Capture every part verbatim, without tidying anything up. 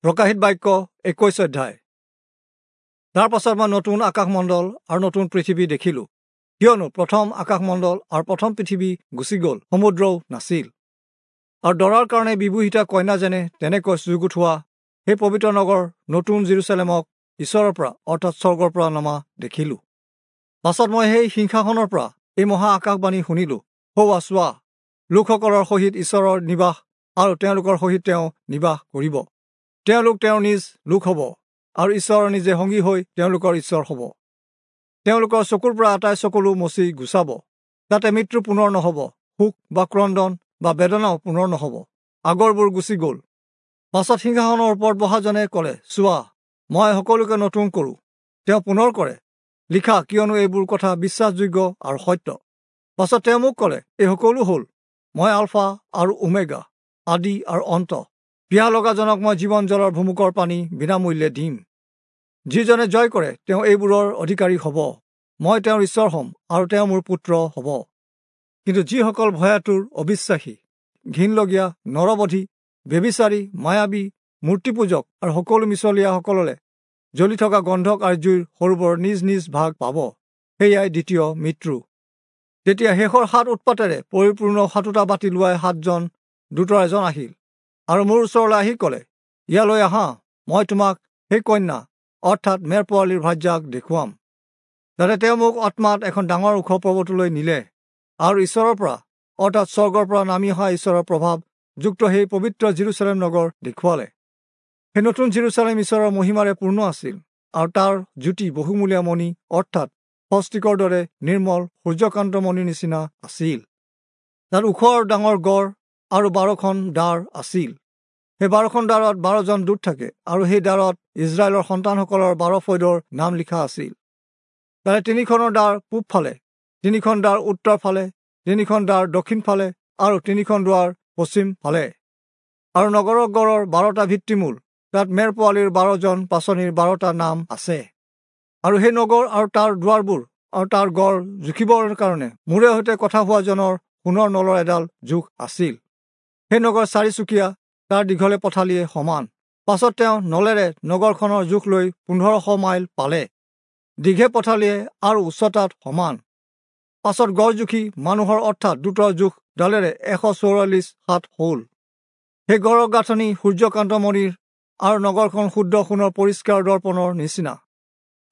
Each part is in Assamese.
প্ৰকাশিত বাক্য একৈশ অধ্যায়। তাৰ পাছত মই নতুন আকাশমণ্ডল আৰু নতুন পৃথিৱী দেখিলোঁ, কিয়নো প্ৰথম আকাশমণ্ডল আৰু প্ৰথম পৃথিৱী গুচি গ'ল, সমুদ্ৰও নাছিল। আৰু দৰাৰ কাৰণে বিবাহিতা কন্যা যেনে তেনেকৈ যুগুত হোৱা সেই পবিত্ৰ নগৰ নতুন জেৰুচালেমক ঈশ্বৰৰ পৰা অৰ্থাৎ স্বৰ্গৰ পৰা নমা দেখিলোঁ। পাছত মই সেই সিংহাসনৰ পৰা এই মহা আকাশবাণী শুনিলোঁ, সৌৱা চোৱা, লোকসকলৰ সহিত ঈশ্বৰৰ নিবাস আৰু তেওঁলোকৰ সহিত তেওঁ নিবাস কৰিব। তেওঁলোক তেওঁৰ নিজ লোক হ'ব আৰু ঈশ্বৰৰ নিজে সংগী হৈ তেওঁলোকৰ ঈশ্বৰ হ'ব। তেওঁলোকৰ চকুৰ পৰা আটাই চকুলো মচি গুচাব। তাতে মৃত্যু পুনৰ নহ'ব, শোক বা ক্ৰন্দন বা বেদনাও পুনৰ নহ'ব, আগৰবোৰ গুচি গ'ল। পাছত সিংহাসনৰ ওপৰত বহাজনে ক'লে, চোৱা, মই সকলোকে নতুন কৰোঁ। তেওঁ পুনৰ কৰে, লিখা, কিয়নো এইবোৰ কথা বিশ্বাসযোগ্য আৰু সত্য। পাছত তেওঁ মোক ক'লে, এই সকলো হ'ল, মই আলফা আৰু ওমেগা, আদি আৰু অন্ত। পিয়াহ লগাজনক মই জীৱন জলৰ ভুমুকৰ পানী বিনামূল্যে দিম। যিজনে জয় কৰে তেওঁ এইবোৰৰ অধিকাৰী হ'ব। মই তেওঁৰ ঈশ্বৰ হ'ম আৰু তেওঁ মোৰ পুত্ৰ হ'ব। কিন্তু যিসকল ভয়াতুৰ, অবিশ্বাসী, ঘিণলগীয়া, নৰবধী, ব্যভিচাৰী, মায়াবী, মূৰ্তিপূজক আৰু সকলো মিছলীয়াসকললে জ্বলি থকা গন্ধক আৰু জুইৰ সৰোবৰ নিজ নিজ ভাগ পাব, সেয়াই দ্বিতীয় মৃত্যু। তেতিয়া শেষৰ সাত উৎপাতেৰে পৰিপূৰ্ণ সাতোটা বাতি লোৱাই সাতজন দূতৰ এজন আহিল আৰু মোৰ ওচৰলৈ আহি ক'লে, ইয়ালৈ আহা, মই তোমাক সেই কন্যা অৰ্থাৎ মেৰ পোৱালিৰ ভাৰ্যাক দেখুৱাম। তাতে তেওঁ মোক আত্মাত এখন ডাঙৰ ওখ পৰ্বতলৈ নিলে আৰু ঈশ্বৰৰ পৰা অৰ্থাৎ স্বৰ্গৰ পৰা নামি অহা ঈশ্বৰৰ প্ৰভাৱ যুক্ত সেই পবিত্ৰ জেৰুচালেম নগৰ দেখুৱালে। সেই নতুন জেৰুচালেম ঈশ্বৰৰ মহিমাৰে পূৰ্ণ আছিল আৰু তাৰ জ্যোতি বহুমূলীয়া মণি অৰ্থাৎ ফস্তিকৰ দৰে নিৰ্মল সূৰ্যকান্ত মণিৰ নিচিনা আছিল। তাত ওখ আৰু ডাঙৰ গড় আৰু বাৰখন দ্বাৰ আছিল। সেই বাৰখন দ্বাৰত বাৰজন দূত থাকে আৰু সেই দ্বাৰত ইজৰাইলৰ সন্তানসকলৰ বাৰ ফৈদৰ নাম লিখা আছিল। তাৰে তিনিখনৰ দ্বাৰ পূব ফালে, তিনিখন দ্বাৰ উত্তৰ ফালে, তিনিখন দ্বাৰ দক্ষিণ ফালে আৰু তিনিখন দুৱাৰ পশ্চিম ফালে। আৰু নগৰৰ গড়ৰ বাৰটা ভিত্তিমূল, তাত মেৰ পোৱালিৰ বাৰজন পাচনিৰ বাৰটা নাম আছে। আৰু সেই নগৰ আৰু তাৰ দুৱাৰবোৰ আৰু তাৰ গড় জুখিবৰ কাৰণে মোৰে সৈতে কথা হোৱাজনৰ সোণৰ নলৰ এডাল জোখ আছিল। সেই নগৰ চাৰিচুকীয়া, তাৰ দীঘলে পথালিয়ে সমান। পাছত তেওঁ নলেৰে নগৰখনৰ জোখ লৈ পোন্ধৰশ মাইল পালে, দীঘে পথালিয়ে আৰু উচ্চতাত সমান। পাছত গড় জুখি মানুহৰ অৰ্থাৎ দূতৰ জোখ ডালেৰে এশ চৌৰাল্লিছ হাত হ'ল। সেই গড়ৰ গাঁথনি সূৰ্যকান্ত মণিৰ আৰু নগৰখন শুদ্ধ সোণৰ পৰিষ্কাৰ দৰ্পণৰ নিচিনা।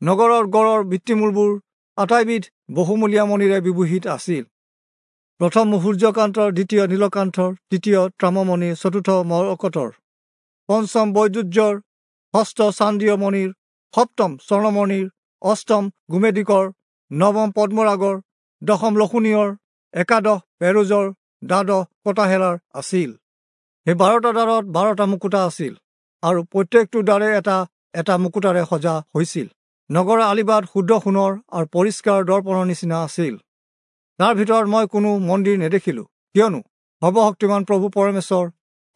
নগৰৰ গড়ৰ ভিত্তিমূলবোৰ আটাইবিধ বহুমূলীয়া মণিৰে বিভূষিত আছিল। প্ৰথম সূৰ্যকান্তৰ, দ্বিতীয় নীলকান্তৰ, তৃতীয় ত্ৰামমণিৰ, চতুৰ্থ মৰকতৰ, পঞ্চম বৈদুৰ্যৰ, ষষ্ঠ চান্দিয় মণিৰ, সপ্তম স্বৰ্ণমণিৰ, অষ্টম গোমেদিকৰ, নৱম পদ্মৰাগৰ, দশম লশুনীয়ৰ, একাদশ পেৰুজৰ, দ্বাদশ কটাহেলাৰ আছিল। সেই বাৰটা দ্বাৰত বাৰটা মুকুতা আছিল আৰু প্ৰত্যেকটো দ্বাৰে এটা এটা মুকুতাৰে সজা হৈছিল। নগৰৰ আলিবাট শুদ্ধ সোণৰ আৰু পৰিষ্কাৰ দৰ্পণৰ নিচিনা আছিল। তাৰ ভিতৰত মই কোনো মন্দিৰ নেদেখিলোঁ, কিয়নো সৰ্বশক্তিমান প্ৰভু পৰমেশ্বৰ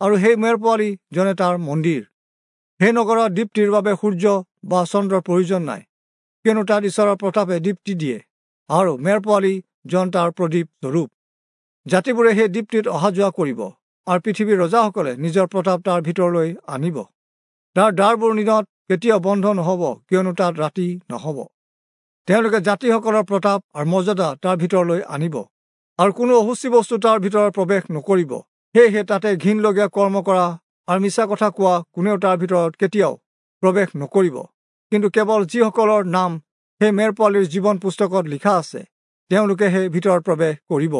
আৰু সেই মেৰ পোৱালি জনে তাৰ মন্দিৰ। সেই নগৰত দীপ্তিৰ বাবে সূৰ্য বা চন্দ্ৰৰ প্ৰয়োজন নাই, কিয়নো তাত ঈশ্বৰৰ প্ৰতাপে দীপ্তি দিয়ে আৰু মেৰ পোৱালি জন তাৰ প্ৰদীপ স্বৰূপ। জাতিবোৰে সেই দীপ্তিত অহা যোৱা কৰিব আৰু পৃথিৱীৰ ৰজাসকলে নিজৰ প্ৰতাপ তাৰ ভিতৰলৈ আনিব। তাৰ দ্বাৰবোৰ দিনত কেতিয়াও বন্ধ নহ'ব, কিয়নো তাত ৰাতি নহ'ব। তেওঁলোকে জাতিসকলৰ প্ৰতাপ আৰু মৰ্যাদা তাৰ ভিতৰলৈ আনিব আৰু কোনো অশুচি বস্তু তাৰ ভিতৰত প্ৰৱেশ নকৰিব। সেয়েহে তাতে ঘিণলগীয়া কৰ্ম কৰা আৰু মিছা কথা কোৱা কোনেও তাৰ ভিতৰত কেতিয়াও প্ৰৱেশ নকৰিব। কিন্তু কেৱল যিসকলৰ নাম সেই মেৰ পোৱালিৰ জীৱন পুস্তকত লিখা আছে, তেওঁলোকেহে ভিতৰত প্ৰৱেশ কৰিব।